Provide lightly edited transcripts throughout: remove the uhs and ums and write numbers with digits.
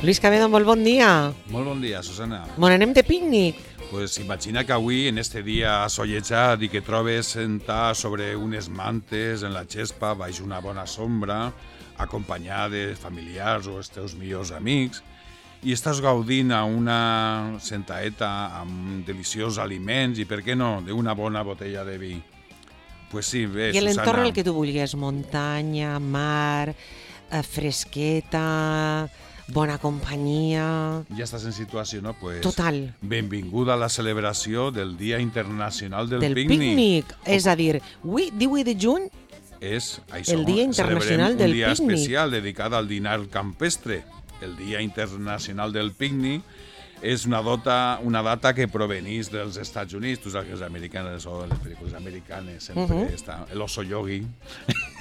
Luis Cabedo, molt bon dia. Molt bon dia, Susana. On anem de pícnic? Pues imagina que avui, en este dia assolellat i que trobes sentar sobre unes mantes en la xespa baix una bona sombra, acompanyat de familiars o els teus millors amics, i estàs gaudint a una sentaeta amb deliciosos aliments i, per què no, d'una bona botella de vi. Pues sí, bé, I l'entorn Susana. el que tu vulguis, muntanya, mar, fresqueta, bona companyia... Ja estàs en situació, no? Pues, Total. benvinguda a la celebració del Dia Internacional del pícnic. És a dir, avui, 18 de juny, és el Dia Internacional del un dia Pícnic. especial dedicat al dinar campestre. El Dia Internacional del Pícnic és una data que provenís dels Estats Units. Tu saps que els americanes o les pel·lícules americanes sempre està l'oso yogi.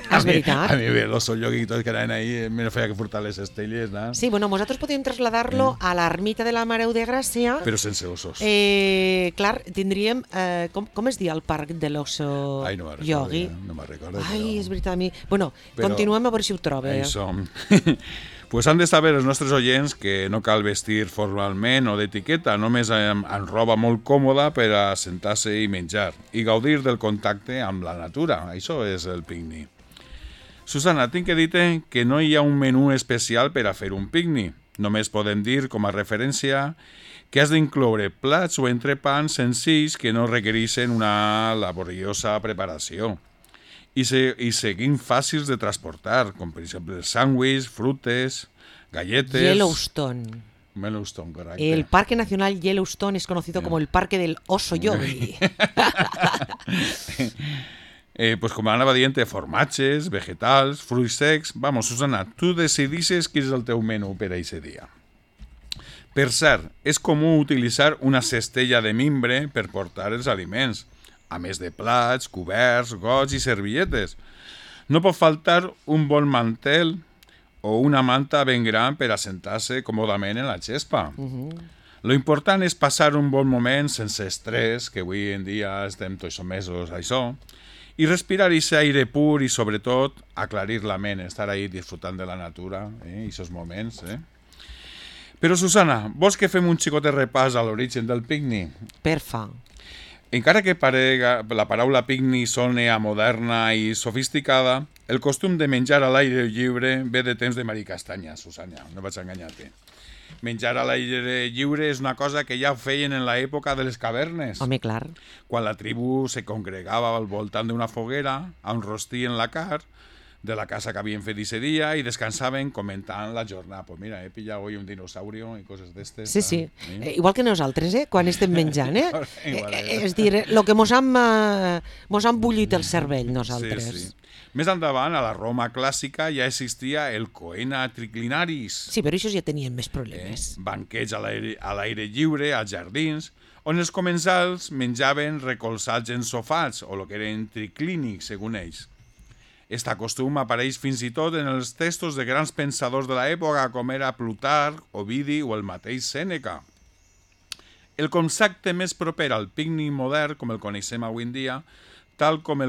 És veritat. A mi bé, l'oso yogi i tot que anaven ahí, me feia que furtar les estelles, no? Sí, bueno, nosaltres podríem trasladar-lo a l'ermita de la Mareu de Gràcia. Però sense osos. Clar, tindríem... com es diu el parc de l'oso Ai, no me'n recordo, yogi? no me'n recordo. Ai, és veritat, a mi... Bueno, Però- continuem a veure si ho trobo. Això. Pues han de saber els nostres oients que no cal vestir formalment o d'etiqueta, només amb roba molt còmoda per a sentar-se i menjar i gaudir del contacte amb la natura. Això és el pícnic. Susana, tinc que dir-te que no hi ha un menú especial per a fer un pícnic. Només podem dir, com a referència, que has d'incloure plats o entrepans senzills que no requereixen una laboriosa preparació i seguint fàcils de transportar, com per exemple sàndwichs, frutes, galletes... Yellowstone. Yellowstone, correcte. El Parque Nacional Yellowstone es conocido como el Parque del Oso Yogi. Pues com anava dient, formatges, vegetals, fruits secs... Vamos, Susana, tu decidixes quin és el teu menú per a aquest dia. Per cert, és comú utilitzar una cestella de mimbre per portar els aliments, a més de plats, coberts, gots i servilletes. No pot faltar un bon mantel o una manta ben gran per assentar-se còmodament en la xespa. Lo important és passar un bon moment sense estrès, que avui en dia estem tots somesos a això, i respirar aquest aire pur i, sobretot, aclarir la ment, estar ahí disfrutant de la natura, aquests moments. Però, Susana, vols que fem un xicot de repàs a l'origen del pícnic? Perfa. Encara que la paraula pícnic soni a moderna i sofisticada, el costum de menjar a l'aire lliure ve de temps de Marí Castanya, Susana, no vaig enganyar-te. Menjar a l'aire lliure és una cosa que ja feien en l'època de les cavernes, Home, clar. quan la tribu se congregava al voltant d'una foguera, enrostien la carn de la casa que havien fet aquest dia i descansaven comentant la jornada. Pues mira, he pillado hoy un dinosaurio i coses d'estes. Sí. Igual que nosaltres, quan estem menjant, Igual, És dir, el que mos han bullit el cervell, nosaltres. Sí. Més endavant, a la Roma clàssica ja existia el coena triclinaris, Sí, però això ja tenien més problemes. banquets a l'aire lliure, als jardins, on els comensals menjaven recolzats en sofats, o el que eren triclínics, segons ells. Este costum apareix fins i tot en els textos de grans pensadors de l'època, com era Plutarc, Ovidi o el mateix Sèneca. El concepte més proper al pícnic modern, com el coneixem avui en dia, tal com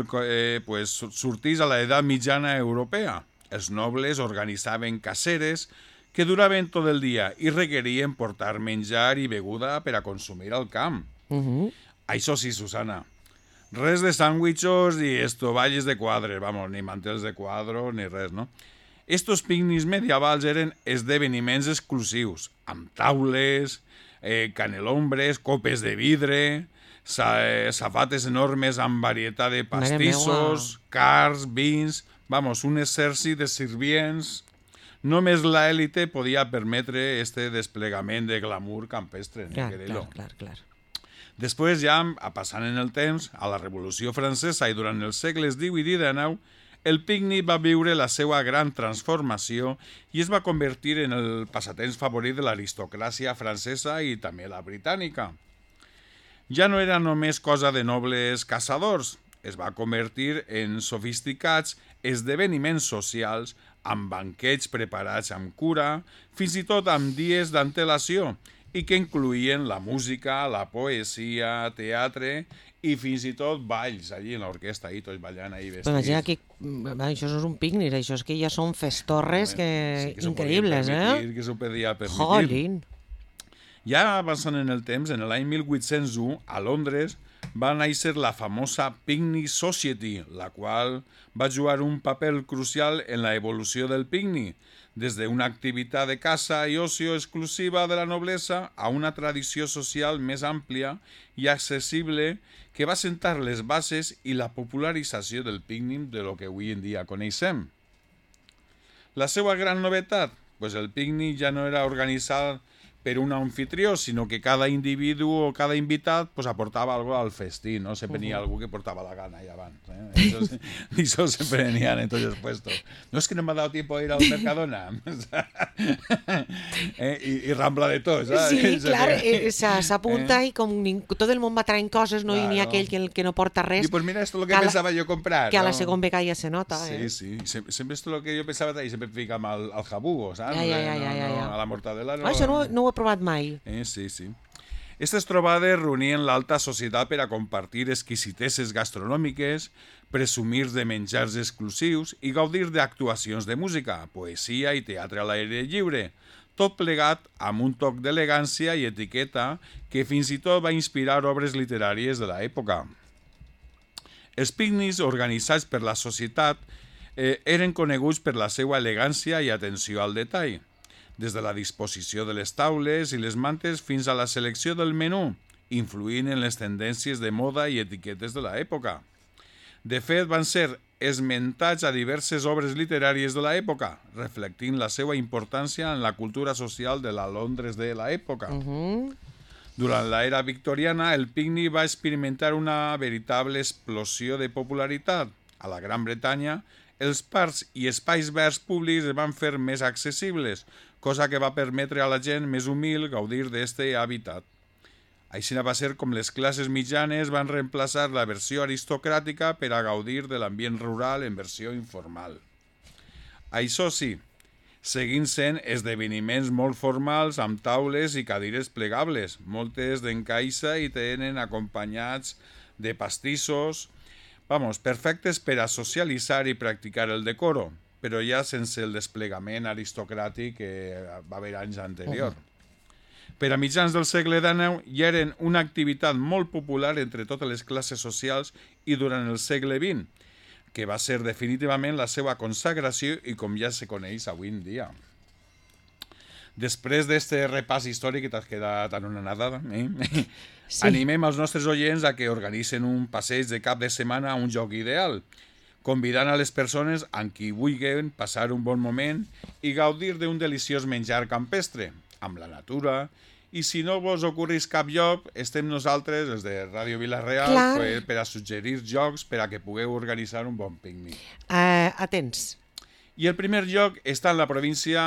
sortís a l'edat mitjana europea. Els nobles organitzaven caceres que duraven tot el dia i requerien portar menjar i beguda per a consumir al camp. Això sí, Susana, res de sàndwichos i estovalles de quadres, vamos, ni mantels de quadro ni res, no? Estos pícnics medievals eren esdeveniments exclusius, amb taules, canelombres, copes de vidre, safates enormes amb varietat de pastissos, carns, vins, vamos, un exèrcit de sirvients. Només l'èlite podia permetre este desplegament de glamour campestre. Clar. Després, ja passant en el temps, a la Revolució Francesa i durant els segles XVIII i XIX, el pícnic va viure la seva gran transformació i es va convertir en el passatemps favorit de l'aristocràcia francesa i també la britànica. Ja no era només cosa de nobles caçadors, es va convertir en sofisticats esdeveniments socials amb banquets preparats amb cura, fins i tot amb dies d'antelació, i que incloïen la música, la poesia, teatre i fins i tot balls allí en l'orquestra, ahí tots ballant ahí vestits. Imagina que això no és un pícnic, això és que ja són festorres increïbles, Que s'ho podia permetir. Jolín. Ja avançant en el temps, en l'any 1801, a Londres, va néixer la famosa Picnic Society, la qual va jugar un paper crucial en la evolució del picnic, des d'una activitat de caça i ocio exclusiva de la noblesa a una tradició social més àmplia i accessible que va sentar les bases i la popularització del pícnic de lo que avui en dia coneixem. La seva gran novetat? Pues el pícnic ja no era organitzat per un anfitrió, sinó que cada individu o cada invitat pues, aportava algo al festín, ¿no? Sempre n'hi ha algú que portava la gana allà abans. Eso siempre n'hi ha en tots els puestos. No es que no me ha dado tiempo a ir al Mercadona. I rambla de tot, ¿sabes? Sí, clar, s'apunta i com tot el món va traient coses, no? Claro. I n'hi ha aquell que no porta res. Y pues mira, esto es lo que pensaba yo comprar. Que a la ¿no? segona vegada ja se nota. Sí, sí. Siempre esto es lo que yo pensaba traer. Siempre ficamos al jabugo, ¿sabes? Ja. A la mortadela no. Això no ho he provat mai. Sí, sí. Aquestes trobades reunien l'alta societat per a compartir exquisiteses gastronòmiques, presumir de menjars exclusius i gaudir d'actuacions de música, poesia i teatre a l'aire lliure, tot plegat amb un toc d'elegància i etiqueta que fins i tot va inspirar obres literàries de l'època. Els pícnics organitzats per la societat eren coneguts per la seva elegància i atenció al detall, des de la disposició de les taules i les mantes fins a la selecció del menú, influint en les tendències de moda i etiquetes de l'època. De fet, van ser esmentats a diverses obres literàries de l'època, reflectint la seva importància en la cultura social de la Londres de l'època. Durant l'era victoriana, el pícnic va experimentar una veritable explosió de popularitat. A la Gran Bretanya, els parcs i espais verds públics es van fer més accessibles, cosa que va permetre a la gent més humil gaudir d'aquest hàbitat. Així va ser com les classes mitjanes van reemplaçar la versió aristocràtica per a gaudir de l'ambient rural en versió informal. Això sí, seguint sent esdeveniments molt formals amb taules i cadires plegables, moltes d'encaixa i tenen acompanyats de pastissos, perfectes per a socialitzar i practicar el decoro, però ja sense el desplegament aristocràtic que va haver anys anterior. Per a mitjans del segle XIX ja eren una activitat molt popular entre totes les classes socials i durant el segle XX, que va ser definitivament la seva consagració i com ja se coneix avui en dia. Després d'aquest repàs històric que t'has quedat en una nadada, sí. Animem els nostres oients a que organitzen un passeig de cap de setmana a un lloc ideal, convidant a les persones amb qui vulguin passar un bon moment i gaudir d'un deliciós menjar campestre, amb la natura, i si no vos ocorreix cap lloc, estem nosaltres, els de Ràdio Vila-real, per a suggerir jocs per a que pugueu organitzar un bon pícnic. Atents. I el primer lloc està en la província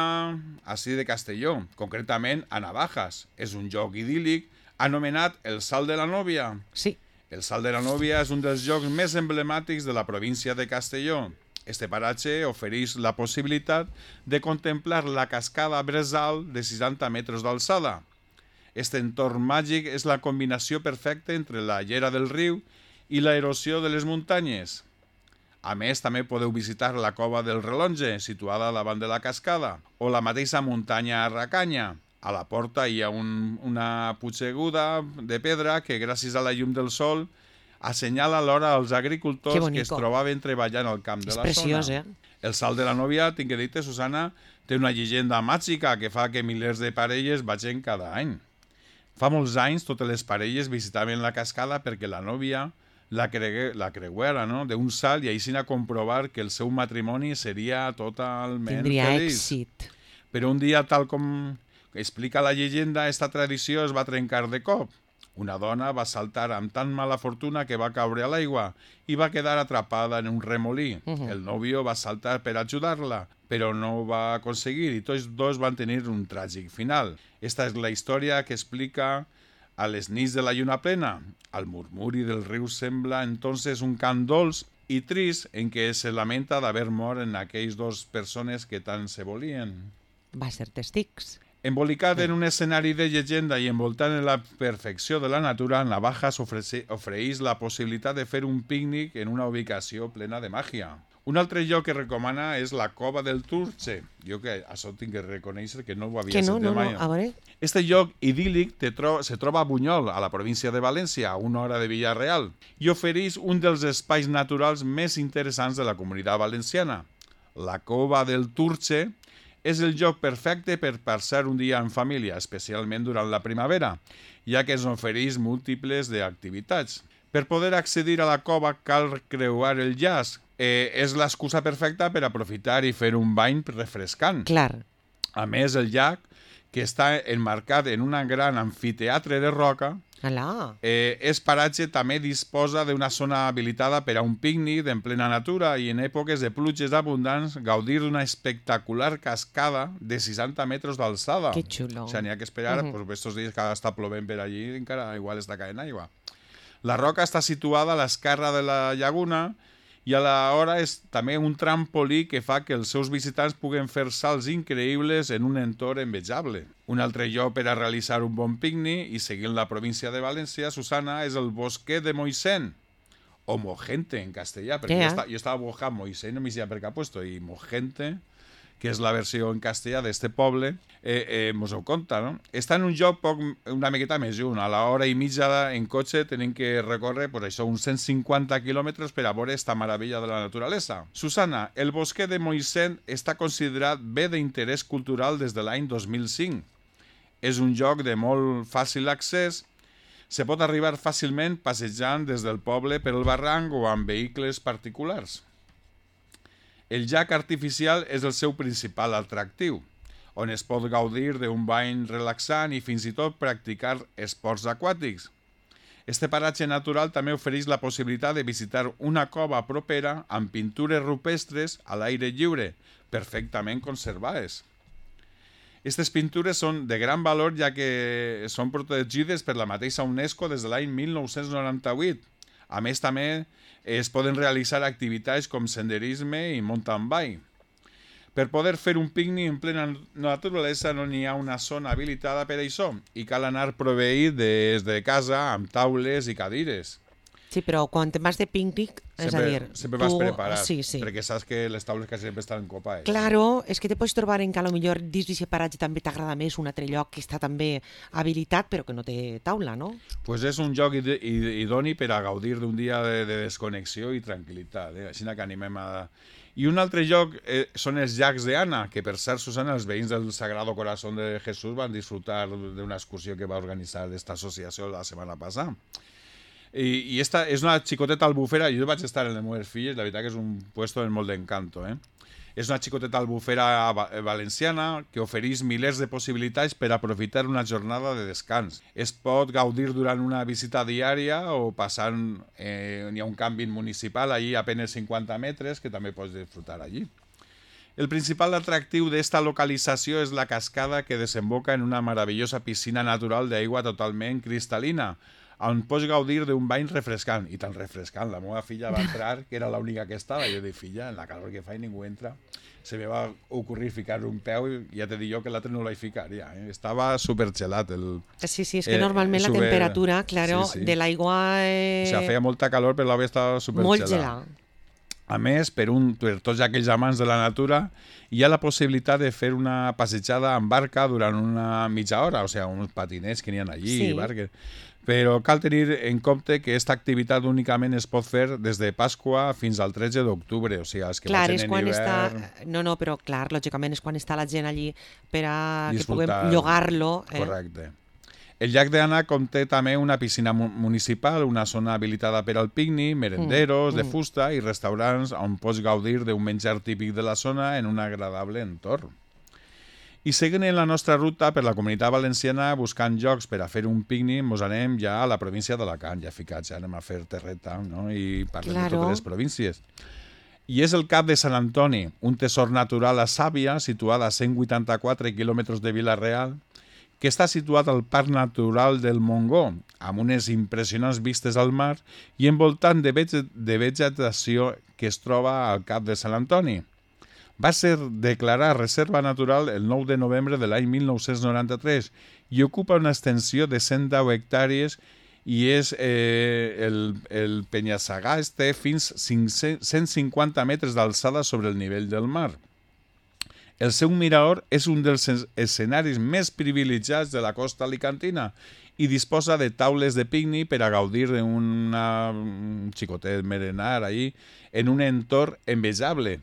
així de Castelló, concretament a Navajas. És un lloc idíl·lic anomenat el Salt de la Nòvia. Sí. El Salt de la Nòvia és un dels llocs més emblemàtics de la província de Castelló. Este paratge ofereix la possibilitat de contemplar la cascada Bresal de 60 metres d'alçada. Este entorn màgic és la combinació perfecta entre la llera del riu i l'erosió de les muntanyes. A més, també podeu visitar la cova del Relonge, situada davant de la cascada, o la mateixa muntanya Arracanya. A la porta hi ha una puigseguda de pedra que, gràcies a la llum del sol, assenyala alhora als agricultors que es trobaven treballant al camp de la zona. És preciós, El Salt de la Nòvia, tinc que dir-te, Susana, té una llegenda màgica que fa que milers de parelles vagin cada any. Fa molts anys, totes les parelles visitaven la cascada perquè la nòvia la creuera, no?, d'un salt i així a comprovar que el seu matrimoni seria totalment feliç. Tindria èxit. Però un dia, tal com explica la llegenda, esta tradició es va trencar de cop. Una dona va saltar amb tan mala fortuna que va caure a l'aigua i va quedar atrapada en un remolí. El nòvio va saltar per ajudar-la, però no ho va aconseguir i tots dos van tenir un tràgic final. Esta és la història que explica a les nits de la lluna plena. Al murmuri del riu sembla entonces un cant dolç i trist en què se lamenta d'haver mort en aquells dos persones que tant se volien. Va ser testics. Embolicat en un escenari de llegenda i envoltant en la perfecció de la natura, Navajas ofereix la possibilitat de fer un pícnic en una ubicació plena de màgia. Un altre lloc que recomana és la Cova del Turce. Jo que això tinc que reconèixer que no ho havia sentit mai. A veure. Este lloc idíl·lic se troba a Bunyol, a la província de València, a una hora de Villarreal, i ofereix un dels espais naturals més interessants de la comunitat valenciana. La Cova del Turce és el lloc perfecte per passar un dia en família, especialment durant la primavera, ja que ens ofereix múltiples d'activitats. Per poder accedir a la cova cal creuar el llaç. És l'excusa perfecta per aprofitar i fer un bany refrescant. Clar. A més, el llac, que està enmarcat en un gran amfiteatre de roca, és paratge també disposa d'una zona habilitada per a un pícnic en plena natura i en èpoques de pluges abundants gaudir d'una espectacular cascada de 60 metres d'alçada. Que xulo. O sigui, n'hi ha que esperar, estos dies que està plovent per allí, encara igual està caent aigua. La roca està situada a l'esquerra de la llaguna i alhora és també un trampolí que fa que els seus visitants puguen fer salts increïbles en un entorn envejable. Un altre lloc per a realitzar un bon pícnic i seguint la província de València, Susana, és el Bosquet de Moixent, o Mogente en castellà, perquè jo estava buscant Moixent, no m'hi sé per què ha puesto, i Mogente, que és la versió en castellà d'este poble, mos ho conta, no? Està en un lloc una miqueta més lluny. A l'hora i mitja en cotxe tenim que recórrer per això uns 150 quilòmetres per a veure esta meravella de la naturalesa. Susana, el Bosquet de Moixent està considerat bé d'interès cultural des de l'any 2005. És un lloc de molt fàcil accés. Se pot arribar fàcilment passejant des del poble per el barranc o amb vehicles particulars. El llac artificial és el seu principal atractiu, on es pot gaudir d'un bany relaxant i fins i tot practicar esports aquàtics. Este paratge natural també ofereix la possibilitat de visitar una cova propera amb pintures rupestres a l'aire lliure, perfectament conservades. Aquestes pintures són de gran valor ja que són protegides per la mateixa UNESCO des de l'any 1998. A més, també es poden realitzar activitats com senderisme i mountain bike. Per poder fer un pícnic en plena naturalesa no n'hi ha una zona habilitada per això i cal anar proveït des de casa amb taules i cadires. Sí, però quan vas de pícnic, és a dir... Sempre vas preparat, sí. perquè saps que les taules quasi sempre estan copades. Claro, és que te pots trobar en que potser dins d'aquest paratge també t'agrada més un altre lloc que està també habilitat però que no té taula, no? Pues és un lloc idoni per a gaudir d'un dia de desconnexió i tranquil·litat. Així que animem a... I un altre lloc són els llacs d'Anna, que per cert, Susana, els veïns del Sagrado Corazón de Jesús van disfrutar d'una excursió que va organitzar aquesta associació la setmana passada. I esta és una xicoteta albufera, jo vaig estar en les meves filles, la veritat que és un puesto de molt d'encanto. És una xicoteta albufera valenciana que ofereix milers de possibilitats per aprofitar una jornada de descans. Es pot gaudir durant una visita diària o passant, hi ha un càmping municipal allí a penes 50 metres que també pots disfrutar allí. El principal atractiu d'esta localització és la cascada que desemboca en una meravellosa piscina natural d'aigua totalment cristal·lina, on pots gaudir d'un bany refrescant. I tan refrescant, la meva filla va entrar, que era l'única que estava, i jo dic, filla, en la calor que fa i ningú entra. Se me va ocurrir ficar un peu i ja te dic jo que l'altre no l'he ficat ja. Estava supergelat. Sí, és que normalment la temperatura, claro, de l'aigua... O sigui, feia molta calor, però l'aigua estava supergelat. Molt gelat. A més, per tots aquells amants de la natura, hi ha la possibilitat de fer una passejada en barca durant una mitja hora, o sigui, uns patinets que n'hi ha allí, barques. Però cal tenir en compte que aquesta activitat únicament es pot fer des de Pasqua fins al 13 d'octubre, o sigui, els que vagin en hivern... No, però clar, lògicament és quan està la gent allí per a que puguem llogar-lo. Correcte. El llac d'Anna conté també una piscina municipal, una zona habilitada per al pícnic, merenderos de fusta i restaurants on pots gaudir d'un menjar típic de la zona en un agradable entorn. I seguint en la nostra ruta per la Comunitat Valenciana buscant llocs per a fer un pícnic, mos anem ja a la província d'Alacant, ja ficats, ja anem a fer terreta, no? I parlem de totes les províncies. I és el Cap de Sant Antoni, un tesor natural a Sàvia, situada a 184 quilòmetres de Vila-real, que està situat al Parc Natural del Montgó, amb unes impressionants vistes al mar i envoltant de vegetació que es troba al Cap de Sant Antoni. Va ser declarar reserva natural el 9 de novembre de l'any 1993 i ocupa una extensió de 110 hectàrees i és el penya-segà té fins 150 metres d'alçada sobre el nivell del mar. El seu mirador és un dels escenaris més privilegiats de la costa alicantina i disposa de taules de pícnic per a gaudir d'un xicotet merenar allí en un entorn envejable.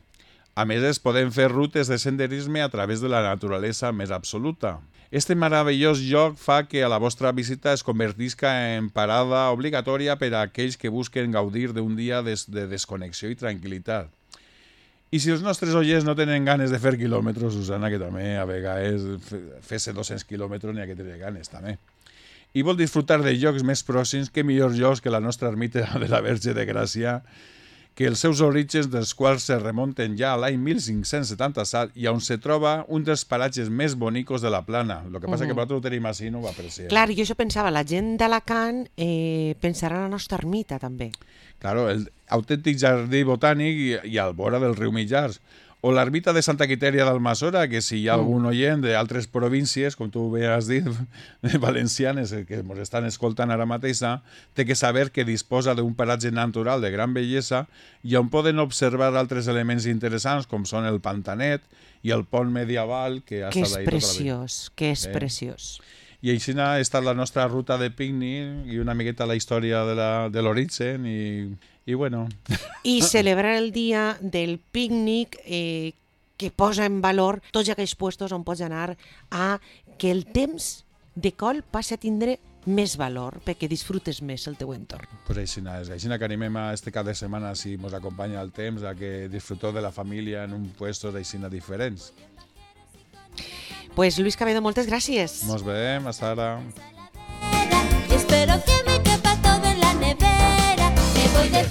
A més, es poden fer rutes de senderisme a través de la naturalesa més absoluta. Este meravellós lloc fa que a la vostra visita es convertisca en parada obligatòria per a aquells que busquen gaudir d'un dia de desconnexió i tranquil·litat. I si els nostres oients no tenen ganes de fer quilòmetres, Susana, que també a vegades fer-se 200 quilòmetres n'hi ha que tenir ganes, també. I vol disfrutar de llocs més pròxims, que millors llocs que la nostra ermita de la Verge de Gràcia, que els seus orígens dels quals se remunten ja a l'any 1577 i on se troba un dels paratges més bonicos de la plana. El que passa que nosaltres ho tenim així, no ho apreciem. Clar, jo això pensava, la gent d'Alacant pensarà en la nostra ermita, també. Claro, el autèntic jardí botànic i al vora del riu Millars. O l'ermita de Santa Quitèria d'Almassora, que si hi ha algun oient d'altres províncies, com tu bé has dit, valencianes, que ens estan escoltant ara mateix, té que saber que disposa d'un paratge natural de gran bellesa i on poden observar altres elements interessants, com són el pantanet i el pont medieval, que ha estat ahí tota la vida. Que és preciós. I així ha estat la nostra ruta de pícnic i una miqueta la història de l'origen i bueno. I celebrar el dia del pícnic que posa en valor tots aquells puestos on pots anar a que el temps de col passi a tindre més valor, perquè disfrutes més el teu entorn. Pues així que animem a este cap de setmana, si ens acompanya el temps, a que disfruteu de la família en un puestos així diferents. Pues Luis Cabedo, moltes gràcies. Nos veiem, hasta ara. Espero que me quepa todo en la nevera. Me voy de